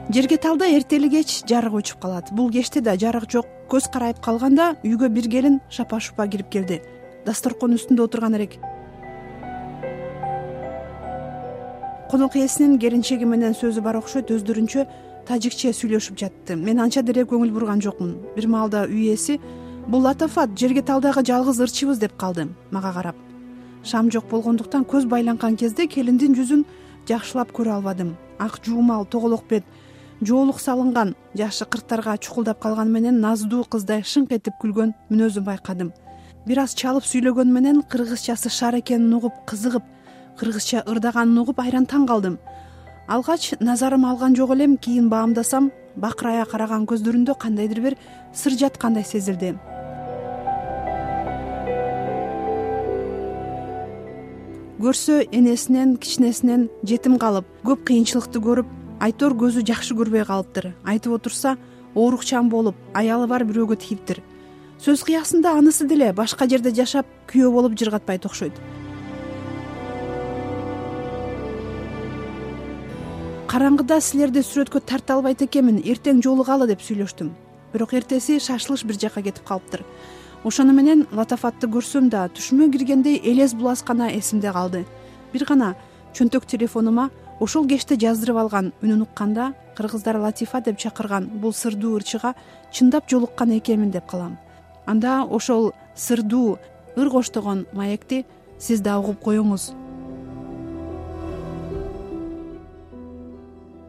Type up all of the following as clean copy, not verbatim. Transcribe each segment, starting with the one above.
Жерге талда эртели кеч жарык өчүп калат. Бул кечте да жарык жок. Көз карайып калганда үйгө бир келин шапа-шупа кирип келди. Дасторкон үстүндө отурган элек. Конок ээсинин келинчеги менен сөзү бар окшойт, өздөрүнчө тажикче сүйлөшүп жатты. Мен анча деле көңүл бурган жокмун. Бир маалда үй ээси: "Бул Латафат, жерге талдагы жалгыз ырчыбыз" деп калды мага карап. Шам жок болгондуктан көз байланган кезде келиндин жүзүн жакшылап көрө албадым. Ак жуумал, тоголок бет, жоолук салынган, жашы 40тарга чукулдап калганы менен наздуу кыздай шыңк этип күлгөн мүнөзүн байкадым. Бир аз чалып сүйлөгөнү менен кыргызчасы шар экенин угуп кызыгып, кыргызча ырдаганын угуп айран таң калдым. Алгач назарым алган жок элем, кийин баамдасам, бакырая караган көздөрүндө кандайдыр бир сыр жаткандай сезилди. Көрсө энесинен, кичинесинен жетим калып, көп кыйынчылыкты көрүп, айтор көзү жакшы көрбөй калыптыр. Айтып отурса, оорукчан болуп, аялы бар бирөөгө тийиптир. Сөз кыясында анысы деле башка жерде жашап, күйөө болуп жыргатпайт окшойт. Караңгыда силерди сүрөткө тарта албайт экенмин, эртең жолугалы деп сүйлөштүм. Бирок эртеси шашылыш бир жака кетип калыптыр. Ошону менен Латафатты көрсөм да түшүмө киргендей элес булас гана эсимде калды. Бир гана чөнтөк телефонума ошол кечте жаздырып алган үнүн укканда, кыргыздар Латифа деп чакырган бул сырдуу ырчыга чындап жолуккан экенмин деп калам. Анда ошол сырдуу ыр коштогон маекти сиз да угуп коюңуз.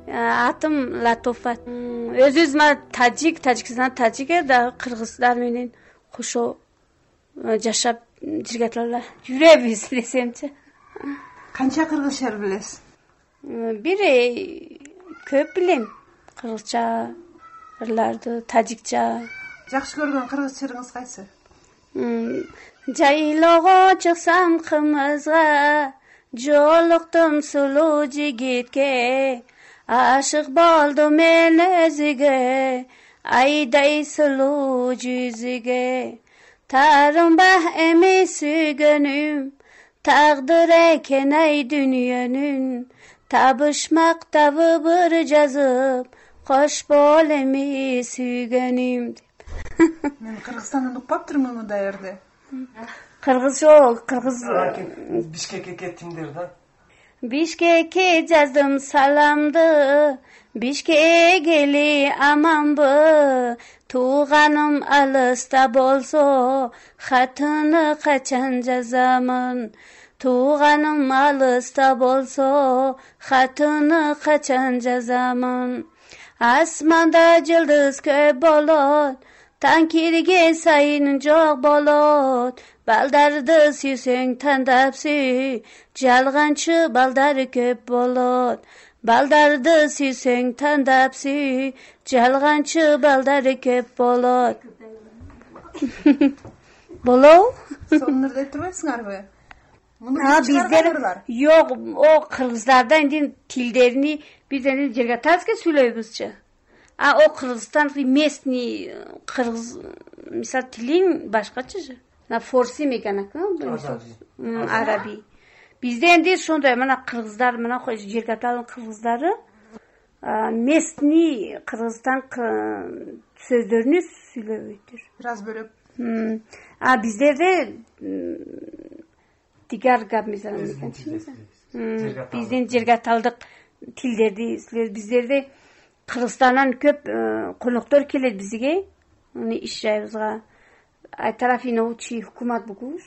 Атым Латофат. Өзүбүз Тажикстан да кыргыздар менен кошо жашап жиргаталар жүрөбүз десемчи. Канча кыргызча билесиз? Бир көп билем. Кыргызча ырларды, тажикча. Жакшы көргөн кыргыз чырыңыз кайсы? Жайлоого чыксам кымызга, жолуктум сулуу жигитке, ашык болдум мен өзүгө, айдай сулуу жүзүгө. Тарымба эми сүйгөнүм, тагдыр экен ай дүйнөнүн, табышмак табы быр жазып, кош бол эми сүйгөнүм. Мен Кыргызстандан укпаптырмын мындай жерде. Кыргыз жок, кыргыз. Бишкекке кеттиңдер да. Бишкекке жаздым саламды, Бишкек эли аманбы, тууганым алыста болсо, хатыны качан жазамын. Тууганым алыста болсо, хатыны качан жазамын. Асманда жылдыз көп болот, таң кирген сайын жок болот. Балдарды сүйсөң тандап сүй, жалганчы балдар көп болот. Балдарды сүйсөң тандап сүй, жалганчы балдар көп болот. Болобу? Сонун айтып турбайсыңарбы? Биздер жок, о кыргыздарда эndi тилдерини биз эndi жергаталыйбызга сүйлөйбүзчү. О Кыргызстан местный кыргыз мисал тилин башкачы же. На форси меканакы, араби. Бизде энди ошондой мына кыргыздар, мына жергаталын кыргыздары местный Кыргызстан сөздөрүнү сүйлөбөйт. Бир аз бөлөп. Биздерде тигар габмизан меканчы. Биздин жергаталдык тилдерди сүйлөйбүз. Биздерде Кыргызстандан көп коноктор келет бизге. Иш жайыбызга. Тарафи научи hükümet букуш.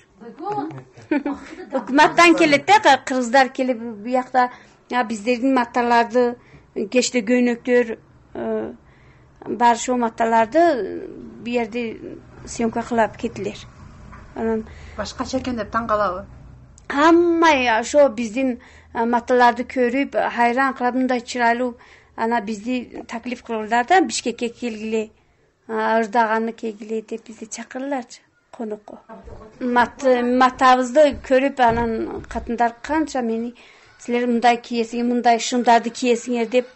Hükümetten келет да, кыргыздар келип буякта биздердин маталарды, кечте көйнөктөр бар ошол маталарды бу жерде съемка кылып кетилер. Анан башкача экен деп таң калабы? Хаммай ошо биздин маталарды көрүп, хайран калып, мындай чырайлуу ана бизди таклиф кылалар да, Бишкекке келгиле. Ырдаганы кегиле деп бизди чакыраларчы конокко. Матабызды көрүп анан катындар канча мени силер мындай кийесиңер, мындай шымдарды кийесиңер деп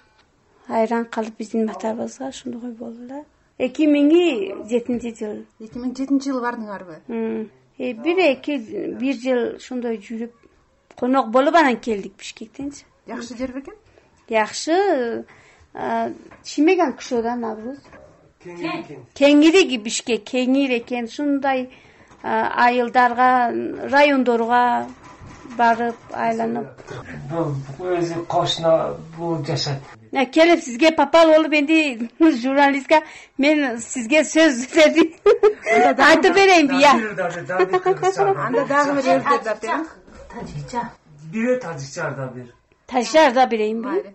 айран калып биздин матабызга ошондой болдулар. 2007-жыл. 2007-жыл бардыңарбы? Бир жыл ошондой жүрүп конок болуп анан келдик Бишкектенчи. Жакшы жер бекен? Жакшы. чимеген киши да Навруз. Кеңири Бишкек кеңир экен. Ушундай айылдарга, райондорго барып айланып. Бул өзү кошуна бул жашат. Келип сизге папал болуп энди журналистка мен сизге сөз бердим. Айтып берейинби я? Анда дагы бир өртөп берем. Тажикча. Бир тажикча бир. Тажикча берейинби?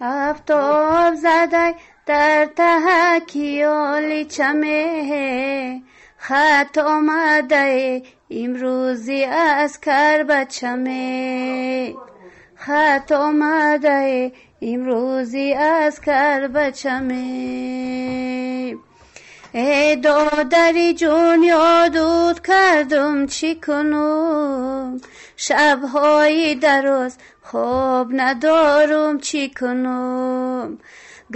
Афтоб задай дар таҳаки оли чаме хат омадаe имрӯзи аз карбачаме хат омадаe имрӯзи аз карбачаме эй додари ҷун ёдут кардум чӣ кунум шабҳои дароз хоб надорум чӣ кунум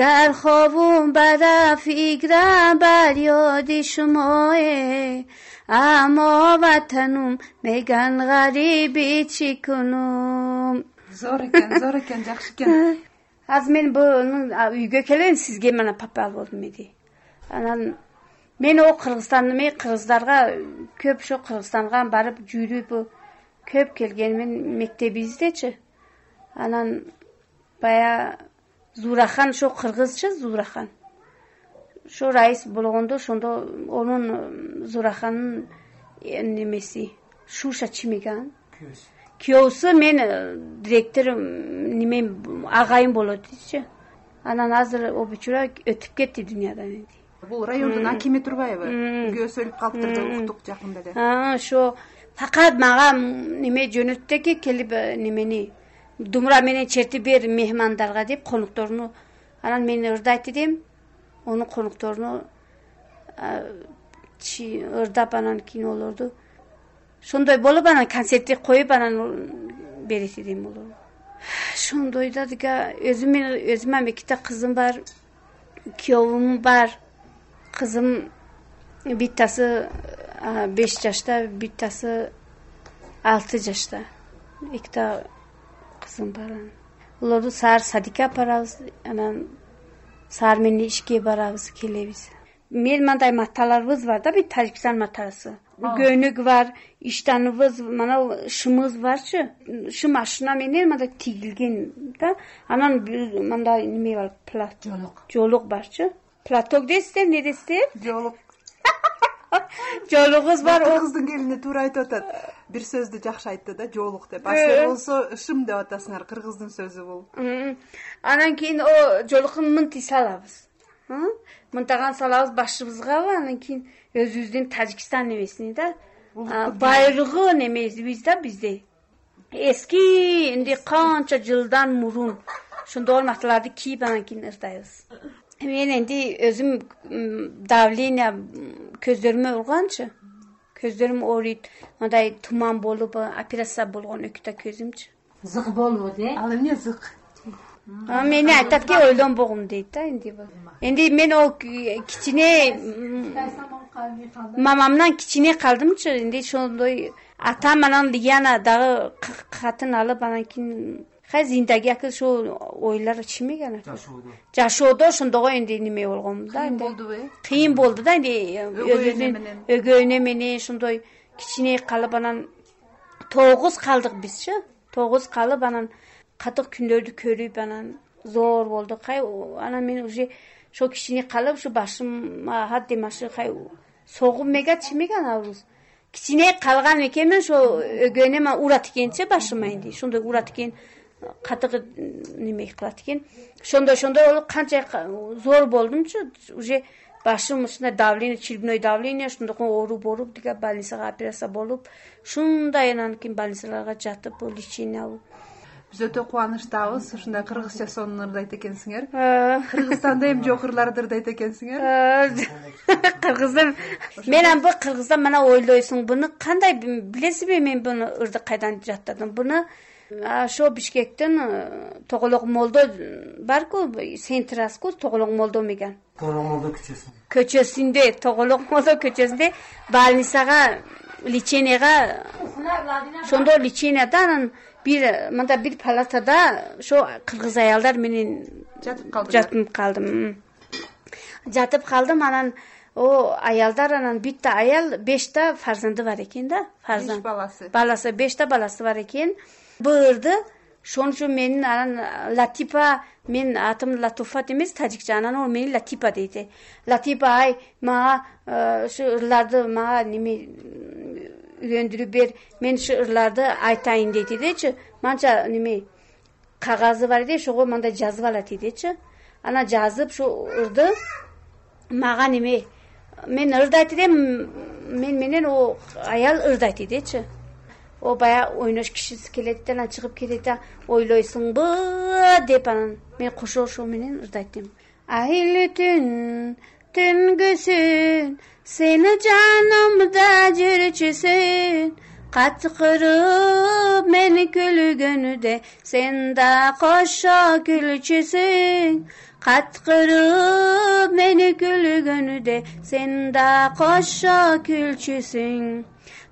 гар хобум бара фикрам бар ёди шумое аммо ватанум меган ғариби чӣ кунум. Зор экен, жакшы экен. Азыр мен буну үйгө келейин, сизге мана папа болдум эди. Анан мен о кыргыздарга көп ошо Кыргызстанга барып жүрүп көп келгенмин мектебибиздечи. Анан бая Зурахан, ошо кыргызча Зурахан. Ошо раис болгондо ошондо онун Зураханын немеси Шуша чимеген. Күйөөсү мен директор неме агайым болот дейчи. Анан азыр обучура өтүп кетти дүйнөдөн энди. Бул райондун акими Турбаева. Күйөөсү өлүп калыптыр деп уктук жакында эле. Ошо факат мага неме жөнөттү келип немени думура менен чертип бер мехмандарга деп конукторуну. Анан мен ырдайт дедим. Онун конукторуну ырдап анан кинолорду. Ошондой болуп анан концертти коюп анан берет дедим олор. Ошондой да дега өзүмө эките кызым бар, күйөөм бар. Кызым биттасы 5 жашта, биттасы 6 жашта. Эките кызым бар. Олорду саар садикка барабыз, анан саар менен ишке барабыз, келебиз. Мен мындай маталарыбыз бар да, бит Тажикстан матасы. Көнүк бар, иштаныбыз, мана шымыбыз барчы. Шым машина менен мындай тигилген да. Анан мындай неме бар, жолук барчы. Платок дейсиздер, эмне дейсиздер? Жолук. Жолугубуз бар. Кыргыздын келини туура айтып атат. Бир сөздү жакшы айтты да, жолук деп. Асыл болсо шым деп атасыңар, кыргыздын сөзү бул. Анан кийин о жолуктун мынти салабыз. Мынтаган салабыз башыбызга, анан кийин өзүбүздүн Тажикстан немесини да. Байрыгы немебиз да бизде. Эски энди канча жылдан мурун ошондой маталарды кийип анан кийин ырдайбыз. Мен энди өзүм давление көздөрүмө урганчы. Көздөрүм ооруйт, мындай туман болуп, операция болгон өкүтө көзүмчү. Зык болуп, Ал эмне зык? Мени айтат ки ойлонбогум дейт да энди бул. Энди мен о кичине мамамдан кичине калдымчы. Энди ошондой атам анан Лияна дагы катын алып анан кийин зиндagi ошо ойлор чимеген. Жашоодо ошондого энди неме болгом да. Кыйын болду да энди өгөйнө менен ошондой кичине калып анан 9 калдык бизчи. 9 калып анан катык күндөрдү көрүп анан зор болду. Анан мен уже ошо кичине калып ушу башыма хаддемашы согуп мега чимеген аврус. Кичине калган экенмин ошо өгөйнөм урат экенчи башыма энди. Ошондой урат экен, катык неме кылат экен. Ошондой болуп канча зор болдумчу. Уже башым ушундай давление, черепной давление, ошондой оору болуп, дега больницага операция болуп, ушундай анан кийин больницаларга жатып, лечение алып. Биз өтө кубанычтабыз, ушундай кыргызча сонун ырдайт экенсиңер. Кыргызстанда эми жок ырларды ырдайт экенсиңер. Кыргыздын мен бу кыргыздан мана ойлойсуң, буну кандай билесизби, мен буну ырды кайдан жаттадым? Буну ошо Бишкектин Тоголок молдо барку, Сентраску Тоголок молдо меген. Тоголок молдо көчөсүндө, Тоголок молдо көчөсүндө больницага лечениега ошондо лечениеда анан мында бир палатада ошо кыргыз аялдар менен жатып калдым. Анан аялдар, анан битте аял 5 фарзанды бар экен да, фарзанд баласы 5 баласы бар экен. Бырды ошон үчүн менин анан Латипа, мен атым Латуфат эмес, тажикча. Анан ол мени Латипа дейт. Латипа, ай мага ушу ырларды мага неме үйрөндүрүп бер, мен ушу ырларды айтайын дейт дечи. Манча неме кагазы бар эди, ошого мындай жазып алат дечи. Анан жазып ушу ырды мага неме мен ырдайт элем, мен менен аял ырдайт дечи. Баягы ойнош кишиси келет, анан чыгып кетет, ойлойсуңбу деп, анан мен кошо ошо менен ырдайт элем. Айлы түн, түнгүсүн, сени жанымда жүрчүсүн, каткырып мени күлгөнүдө, сен да кошо күлчүсүн. Каткырып мени күлгөнүдө, сен да кошо күлчүсүң.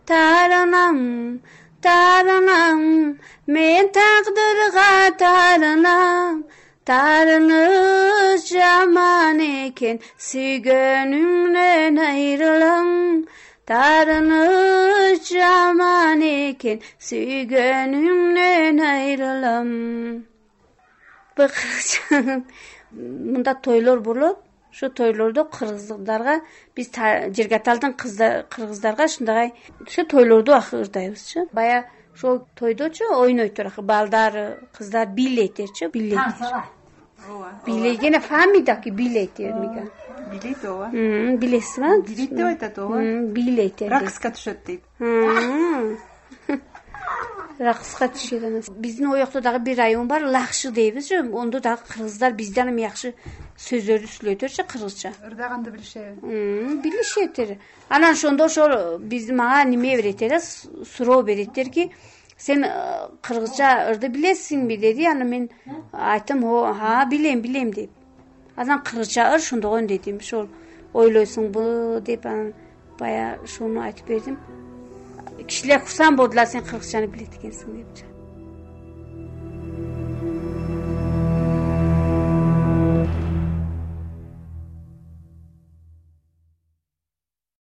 Тарынам, тарынам, мен тагдырга тарынам. Тарыныш жаман экен, сүйгөнүмдөн айрылам. Тарыныш жаман экен, сүйгөнүмдөн айрылам. Мында тойлор болот. Ошо тойлордо кыргыздарга, биз Жергаталдын кыргыздарга ушундай ошо тойлорду ырдайбызчы. Баягы ошол тойдочу ойнойтур, балдар, кыздар бийлейтерчи, бийлейт. Бийлегене фамидaki бийлейтер мига. Бийлейт ооба. Билесизби? Бийлейт деп айтат ооба. Бийлейтер. Ракска түшөт дейт. Ракска түшөт. Биздин оякта дагы бир район бар, Лакшы дейбизчи. Ондо дагы кыргыздар бизден эми жакшы сөздөрдү сүйлөйтөрчү, кыргызча. Ырдаганды билишеби? Билишетир. Анан ошондо ошол биз мага неме береттер, суроо береттерки, сен кыргызча ырды билесиңби деди. Анан мен айттым, билем деп. Анан кыргызча ыр ошондогон дедим. Ошол ойлойсуңбу деп, анан баягы ошону айтып бердим. Кишилер курсан болдулар, сен кыргызчаны билет экенсиң депчи.